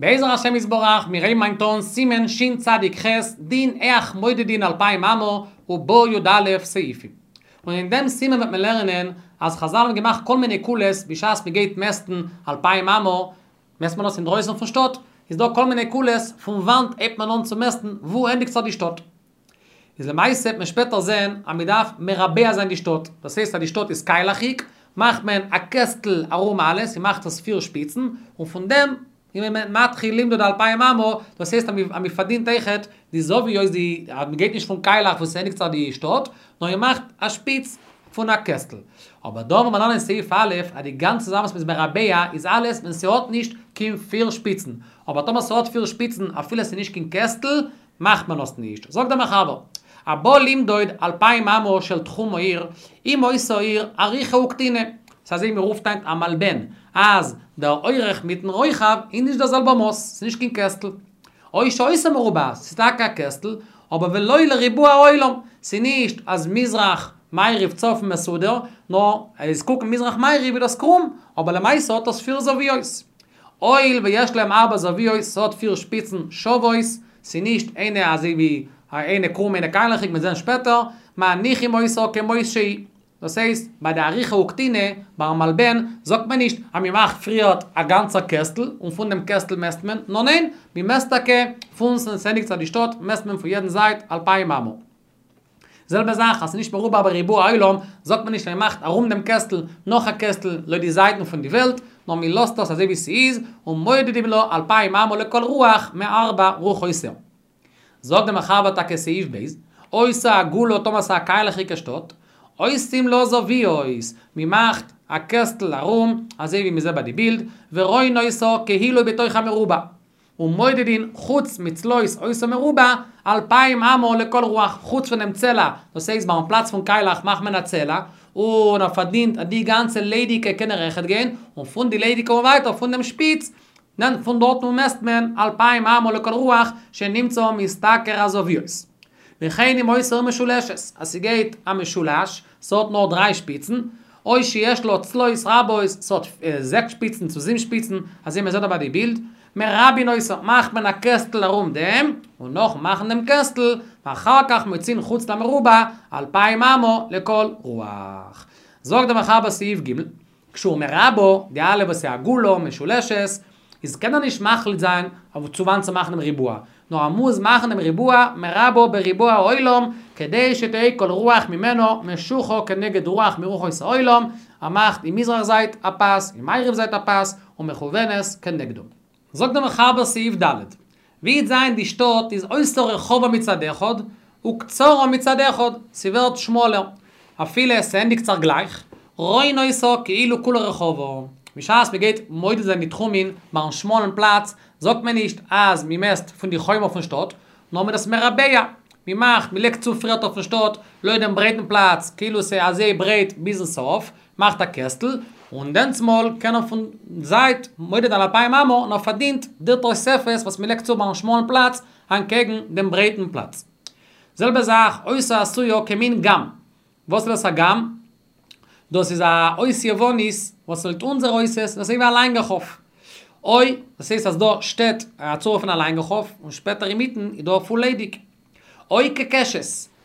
בעזר השם יתברך, מיר הייבן היינט אן סימן שצ"ח, דין היאך מודדין אלפיים אמה, ובו י"א סעיפים. און אין דעם סימן וועט מען לערנען אז חזל האבן געמאכט כל מיני קולות בשעת מען גייט מעסטן אלפיים אמה, מעסט מען דאס אינדרויסן פון שטאט, איז דא כל מיני קולות פון וואנט הייבט מען אן צו מעסטן וואו ענדיגט זיך די שטאט. איז למעשה וועט מען שפעטער זען אז מען דארף מרבע זיין די שטאט, דאס הייסט אז די שטאט איז קיילעכיג, מאכט מען א קעסטל ארום אלעס, מען מאכט עס פיר שפיצן, און פון דעם איז מען מתחיל למדוד אלפיים אמה, דאס הייסט אז מען פארדינט אויכעט די זוויות די אז מען גייט נישט פון קיילעך וואו ס'ענדיגט זיך די שטאט, נאר מען מאכט א שפיץ פון א קעסטל. אבער דא וועט מען לערנען אין סעיף א' אז די גאנצע זאך וואס מ'איז מרבע איז אלעס ווען ס'האט נישט קיין פיר שפיצן, אבער טאמער ס'האט פיר שפיצן אפילו ס'איז נישט קיין קעסטל, מאכט מען עס נישט. זאגט דער מחבר, הבא למדוד אלפיים אמה של תחום העיר, אם היתה העיר אריכה וקטינה, ס'איז אזוי ווי מ'רופט היינט א מלבן, אז דער אורך מיטן רוחב איז נישט דער זעלבער מאס, ס'איז נישט קיין קעסטל. או שהיתה מרובעת, ס'איז טאקע א קעסטל, אבער ולא לריבוע העולם, ס'איז נישט אז מזרח מעריב צפון מסודר, נאר אז קוקן מזרח מעריב איז דאס קרום, אבער למעשה האט עס פיר זוויות. הואיל ויש להם ארבע זוויות, ס'האט פיר שפיצן שוות, ס'נישט איינע אזוי ווי איינע קרום איינע קיילעכיג מ'עט זען שפעטער, מניחים אותה כמות שהיא. דאס הייסט, ביי די אריכה וקטינה, ביים מלבן, זאגט מען נישט אז מ'מאכט פריערט א גאנצע קעסטל און פון דעם קעסטל מעסט מען, נאר ניין, מ'מעסט טאקע פון ס'ענדיגט זיך די שטאט מעסט מען פון יעדן זייט אלפיים אמה. זעלבע זאך אז ס'נישט מרובע בריבוע העולם, זאגט מען נישט אז מ'מאכט ארום דעם קעסטל נאך א קעסטל לויט די זייטן פון די וועלט, נאר מ'לאזט עס אזוי ווי ס'איז, ומודדים לה אלפיים אמה לכל רוח מארבע רוחותיה. זאגט דער מחבר טאקע סעיף ב', היתה עגולה טאמער ס'איז א קיילעכיגע שטאט, עושים לה זוויות, מ'מאכט א קעסטל ארום, אזוי ווי מ'זעט ביי די בילד, ורואין אותה כאילו בתוך המרובע. ומודדין חוץ מצלעות אותו מרובע, אלפיים אמה לכל רוח, חוץ פונעם צלע, דאס הייסט ביים פלאץ פון קיילעך מאכט מען א צלע, און ער פארדינט אז די גאנצע ליידיגע קען ער אויכעט גיין, און פון די ליידיגע און ווייטער פון דעם שפיץ, דען פון דארטן מעסט מען אלפיים אמה לכל רוח, שנמצא משתכר הזוויות. וכן אם היתה משולשת, אז ס'גייט א משולש, ס'האט נאר דריי שפיצן, או שיש לה צלעות רבות, ס'האט זעקס שפיצן צו זיבן שפיצן, אזוי מען זעט דא ביי די בילד, מרבעין אותה, מאכט מען א קעסטל ארום דעם, און נאכן מאכן דעם קעסטל, ואחר כך מוציאין חוץ למרובע, אלפיים אמה לכל רוח. זאגט דער מחבר סעיף ג', כשהוא מרבעה, די אלע וואס איז עגולה, משולשת, איז קען ער נישט מחליט זיין אויף צו וואנען צו מאכן דעם ריבוע, נאר ער מוז מאכן דעם ריבוע מרבעה בריבוע העולם, כדי שתהא כל רוח ממנו משוחה כנגד רוח מרוחות העולם, ער מאכט אין מזרח זייט א פאס, אין מערב זייט א פאס, ומכוונת כנגדו. זאגט דער מחבר סעיף ד', ווי וועט זיין די שטאט איז היתה רחבה מצד אחד, וקצרה מצד אחד, ס'ווערט שמאלער, אפילו ס'ענדיגט זיך גלייך, רואין אותה כאילו כולה רחבה. בשעת מ'גייט מודד זיין די תחומין ביים שמאלן פלאץ, זאגט מען נישט אז מ'מעסט פון די חומה פון שטאט, נאר מ'איז דאס מרבע, מ'מאכט, מ'לייגט צו פריערט אויפן שטאט, לויט דעם ברייטן פלאץ, כאילו ס'איז אזוי ברייט ביזן סוף, מאכט א קעסטל, און דענסמאל קען ער פון זייט מודד זיין אלפיים אמה און ער פארדינט די תוספת וואס מ'לייגט צו ביים שמאלן פלאץ אנטקעגן דעם ברייטן פלאץ. זעלבע זאך היתה עשויה כמין ג"ם. וואס איז דאס א ג"ם? דאס איז א אות יוונית וואס לויט אונזער אותיות איז אזוי ווי א לאנגע כף. אוי, דאס הייסט אז דא שטייט א צורה פון א לאנגע כף און שפעטער אינמיטן איז דא פול ליידיג. או כקשת,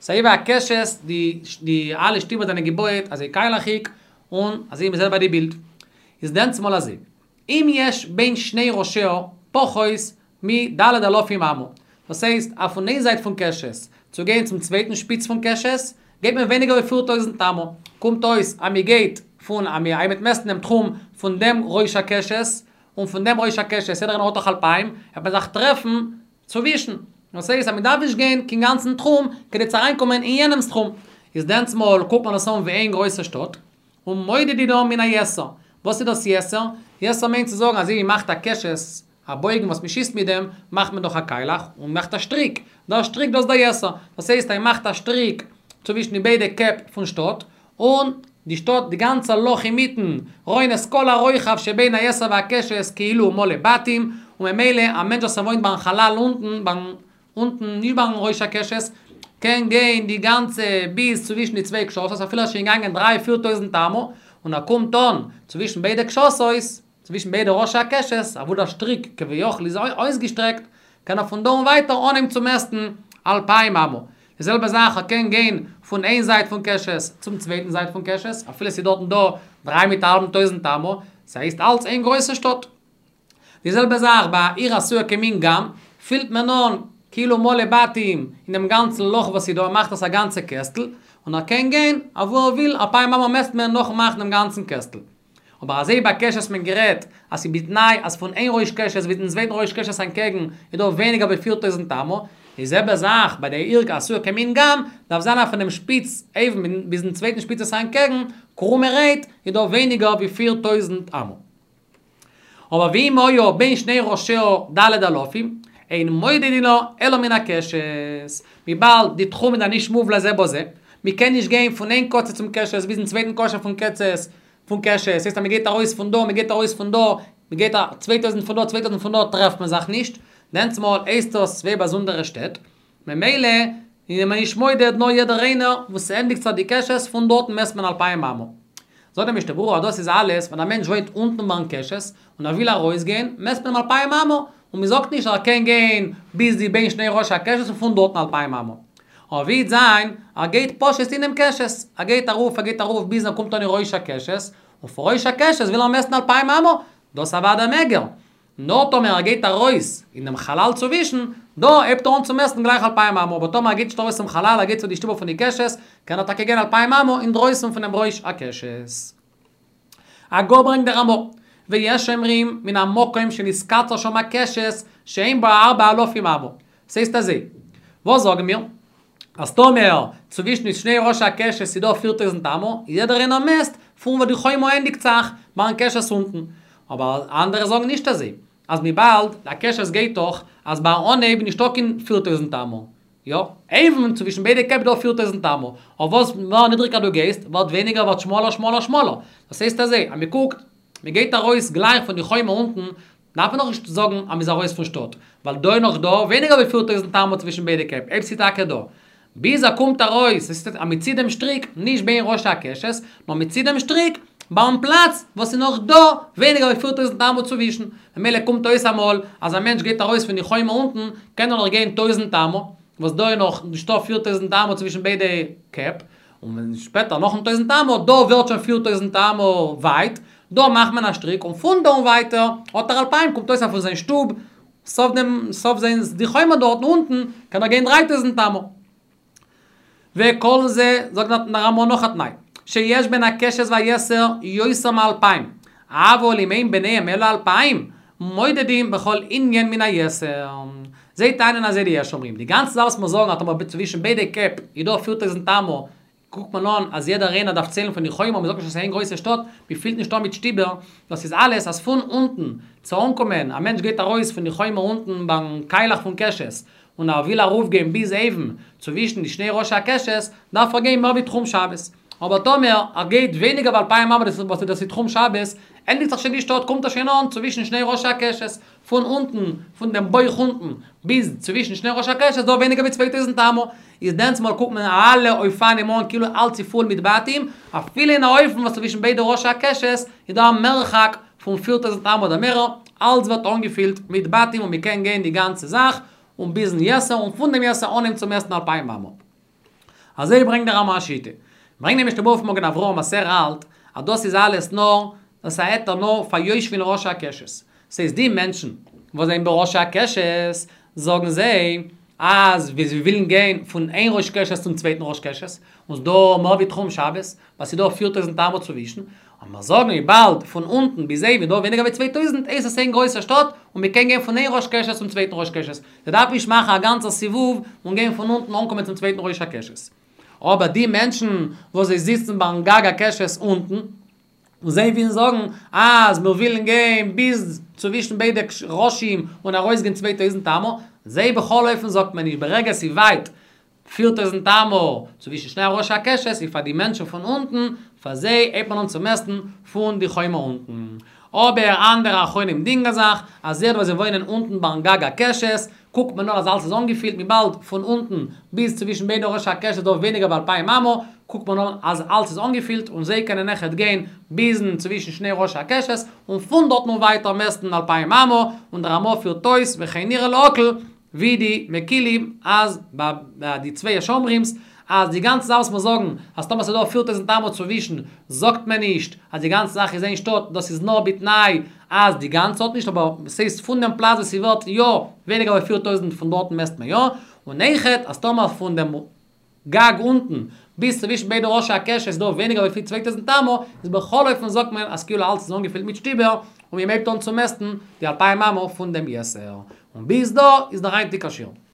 ס'אזוי ווי א קשת, די די אלע שטיבער זענען געבויעט אזוי קיילעכיג און אזוי ווי מ'זעט ביי די בילד. איז דענסמאל אזוי, אם יש בין שני ראשיה פחות מד' אלפים אמה, דאס הייסט אז פון איין זייט פון קשת צו גיין צום צווייטן שפיץ פון קשת גייט מען ווייניגער ווי 4000 אמה, קומט אויס אז מ'גייט פון אז מ'וועט מעסטן דעם תחום פון דעם ראש הקשת און פון דעם ראש הקשת יעדער איינער האט דאך אלפיים, וועט מען זיך טרעפן צווישן, דאס הייסט אז מ'דארף נישט גיין קיין גאנצן תחום כדי צו אריינקומען אין יענעמ'ס תחום, איז דענסמאל קוקט מען עס אן ווי איין גרויסע שטאט, ומודדין מן היתר. וואס איז דאס יתר? יתר מיינט צו זאגן אזוי ווי מ'מאכט א קשת, א בויגן וואס מ'שיסט מיט דעם, מאכט מען דאך א קיילעך, און מ'מאכט א שטריק. דער שטריק דאס איז דער יתר. דאס הייסט אז מ'מאכט א שטריק צווישן די ביידע קעפ פון שטאט, און די שטאט, די גאנצע לאך אינמיטן, רואין את כל הרוחב שבין היתר והקשת כאילו הוא מלא בתים, און ממילא א מענטש וואס ער וואוינט ביים חלל אונטן, ביים אונטן, נישט ביים ראש הקשת, קען גיין די גאנצע ביז צווישן די צוויי קשתות, אפילו ער איז שוין געגאנגען דריי פיר טויזנט אמה, און ער קומט אן צווישן ביידע קשתות. צווישן ביידע ראשי הקשת, אוואו דער שטריק כביכול איז אויסגעשטרעקט, קען ער פון דא און ווייטער אנהייבן צו מעסטן אלפיים אמה. די זעלבע זאך ער קען גיין פון איין זייט פון קשת צום צווייטן זייט פון קשת, אפילו ס'איז דארטן דא דריי מיט א האלבן טויזנט אמה, ס'הייסט אלץ איין גרויסע שטאט. די זעלבע זאך ביי א עיר עשויה כמין גמ, פילט מען אן כאילו מלא בתים אין דעם גאנצן לאך וואס איז דא, מאכט עס א גאנצע קעסטל, און ער קען גיין אוואו ער וויל, אלפיים אמה מעסט מען נאכן מאכן דעם גאנצן קעסטל. אבער אזוי ביי קשת האט מען גערעדט אז ס'איז בתנאי אז פון איין ראש קשת ביזן צווייטן ראש קשת אנטקעגן איז דא ווייניגער ווי 4000 אמה, די זעלבע זאך ביי די עיר עשויה כמין גמ, דארף זיין אז פונעם שפיץ אויבן ביזן צווייטן שפיץ עס אנטקעגן, קרומערהייט, איז דא ווייניגער ווי 4000 אמה. אבער ואם היה בין שני ראשיה ד' אלפים, אין מודדין לה אלא מן הקשת, וויבאלד די תחום איז נישט מובלע זה בזה, מ'קען נישט גיין פון איין קצה צום קשת ביזן צווייטן קצה פון קצת פון קשת, ס'הייסט אז מ'גייט ארויס פון דא, מ'גייט ארויס פון דא, מ'גייט א 2000 פון דא, 2000 פון דא, טרעפט מען זיך נישט, דענסטמאל הייסט דאס צוויי באזונדערע שטעט, ממילא איז מען נישט מודד נאר יעדער איינער וואו ס'ענדיגט זיך די קשת פון דארטן מעסט מען אלפיים אמה. זאגט דער משנה ברורה אז דאס איז אלעס ווען א מענטש וואוינט אונטן ביים קשת און ער וויל ארויסגיין מעסט מען אים אלפיים אמה און מען זאגט נישט אז ער קען גיין ביז די בין שני ראשי הקשת און פון דארטן אלפיים אמה. אבער ווי וועט זיין ער גייט פשוט אינעם קשת, ער גייט ארויף ער גייט ארויף ביז ער קומט אן אין ראש הקשת, און פון ראש הקשת וויל ער מעסטן אלפיים אמה, דאס אוודאי מעג ער. נאר טאמער ער גייט ארויס אין דעם חלל צווישן, דא הייבט ער אן צו מעסטן גלייך אלפיים אמה, אבער טאמער ער גייט נישט ארויס צום חלל, ער גייט צו די שטיבל פון די קשת, קען ער טאקע גיין אלפיים אמה אינדרויסן פונעם ראש הקשת. הגה ברענגט דער רמא, ויש אומרים מן המקום שנתקצר שם הקשת שאין בה ארבע אלפים אמה. ס'הייסט אזוי, וואס זאגן מיר? אז טאמער צווישן די שני ראשי הקשת איז דא 4000 אמה, יעדער איינער מעסט פון וואו די חומה ענדיגט זיך, ביים קשת אונטן. אבער אנדערע זאגן נישט אזוי, אז וויבאלד די קשת גייט דאך אז ביים אנהייב נישטא קיין 4000 אמה. יא, אויבן צווישן ביידע קעפ דא 4000 אמה, אבער וואס מער נידריגער דו גייסט, ווערט ווייניגער ווערט שמאלער שמאלער שמאלער. דאס הייסט אזוי, אז מ'קוקט, מ'גייט ארויס גלייך פון די חומה אונטן, דארף מען נאכנישט זאגן אז מ'איז ארויס פון שטאט, ווייל דא איז נאך דא ווייניגער ווי 4000 אמה צווישן ביידע קעפ, אויב ס'איז טאקע דא. ביז ער קומט ארויס, עס איז אז מ'ציט דעם שטריק, נישט בין ראשי הקשת, נאר מ'ציט דעם שטריק ביים פלאץ וואס איז נאך דא ווייניגער ווי 4000 אמה צווישן. ממילא קומט אויס אמאל אז א מענטש גייט ארויס פון די חומה אונטן, קען ער נאך גיין טויזנט אמה, וואס דא איז נאך נישטא 4000 אמה צווישן ביידע קעפ, און ווען שפעטער נאכן טויזנט אמה, דא ווערט שוין 4000 אמה ווייט, דא מאכט מען א שטריק און פון דא און ווייטער האט ער אלפיים, קומט אויס אז פון זיין שטוב, סוף דעם, סוף זיין די חומה דארטן אונטן, קען ער גיין 3000 אמה. וכל זה, זאגט דער רמא נאך א תנאי, שיש בין הקשת והיתר יותר מאלפיים, אבל אם אין ביניהם אלא אלפיים, מודדים בכל ענין מן היתר. זיי טענה'ן אזוי די יש אומרים, די גאנצע זאך וואס מיר זאגן אז טאמער צווישן ביידע קעפ איז דא 4000 אמה, קוקט מען אן אז יעדער איינער דארף ציילן פון די חומה, מ'זאגט נישט אז ס'איז איין גרויסע שטאט, מ'פילט נישט אן מיט שטיבער, דאס איז אלעס אז פון אונטן צו אנקומען, א מענטש גייט ארויס פון די חומה אונטן ביים קיילעך פון קשת, און ער וויל ארויפגיין ביז אויבן צווישן די שני ראשי הקשת, דארף ער גיין מער ווי תחום שבת. אבער טאמער ער גייט ווייניגער ווי אלפיים אמה וואס דאס איז תחום שבת, ענדיגט זיך שוין די שטאט קומט ער שוין אן צווישן שני ראשי הקשת, פון אונטן, פון דעם בויך אונטן, ביז צווישן שני ראשי הקשת איז דא ווייניגער ווי 2000 אמה, איז דענסטמאל קוקט מען אלע אופנים אן כאילו אלץ איז פול מיט בתים, אפילו אין א אופן וואס צווישן ביידע ראשי הקשת איז דא א מרחק פון 4000 אמה אדער מערער, אלץ ווערט אנגעפילט מיט בתים און מ'קען גיין די גאנצע זאך, און ביזן יתר און פון דעם יתר אנהייבן צו מעסטן אלפיים אמה. אזוי ברענגט דער רמא א שיטה. ברענגט דער משנה ברורה פון מגן אברהם אז ער האלט אז דאס איז אלעס נאר, דאס איז א היתר נאר פאר יושבין ראשי הקשת. ס'הייסט די מענטשן וואס זענען בראשי הקשת, זאגן זיי אז ווי זיי ווילן גיין פון איין ראש קשת צום צווייטן ראש קשת, און ס'דא מער ווי תחום שבת, ווייל ס'דא 4000 אמה צווישן, און מיר זאגן וויבאלד פון אונטן ביז אויבן איז דא ווייניגער ווי 2000 הייסט עס איין גרויסע שטאט און מען קען גיין פון איין ראש קשת צום צווייטן ראש קשת, זיי דארפן נישט מאכן א גאנצע סיבוב און גיין פון אונטן אנקומען צום צווייטן ראש הקשת. אבער די מענטשן וואס זיי זיצן ביים גג הקשת אונטן, און זיי ווילן זאגן אז מיר ווילן גיין ביז צווישן ביידע ראשים און ארויסגיין 2000 אמה, זיי בכל אופן זאגט מען נישט ברגע ס'איז ווייט 4000 אמה צווישן שני ראשי הקשת איז פאר די מענטשן פון אונטן, פאר זיי הייבט מען אן צו מעסטן פון די חומה אונטן. אבער אנדערע אחרונים דינגען זיך אז היות וואס זיי וואוינען אונטן ביים גג הקשת, קוקט מען אן אז אלס איז אנגעפילט וויבאלד פון אונטן ביז צווישן ביידע ראשי הקשת איז דא ווייניגער ווי אלפיים אמה, קוקט מען אן אז אלץ איז אנגעפילט און זיי קענען אויכעט גיין ביזן צווישן שני ראשי הקשת און פון דארטן און ווייטער מעסטן אלפיים אמה, און דער רמא פירט אויס וכן נראה להקל ווי די מקילים אז ביי די צוויי השומרים'ס אז די גאנצע זאך וואס מיר זאגן אז טאמער ס'איז דא 4000 אמה צווישן זאגט מען נישט אז די גאנצע זאך איז איין שטאט, דאס איז נאר בתנאי אז די גאנצע האט נישט אבער ס'הייסט פון דעם פלאץ וואס ס'ווערט יא ווייניגער ווי 4000 פון דארטן מעסט מען יא, און אויכעט אז טאמער פון דעם גג אונטן ביז צווישן ביידע ראשי הקשת איז דא ווייניגער ווי 2000 אמה, איז בכל אופן זאגט מען אז כאילו אלץ איז אנגעפילט מיט שטיבער, און מען הייבט אן צו מעסטן די אלפיים אמה פון דעם יתר. און ביז דא איז דער היינטיגער שיעור.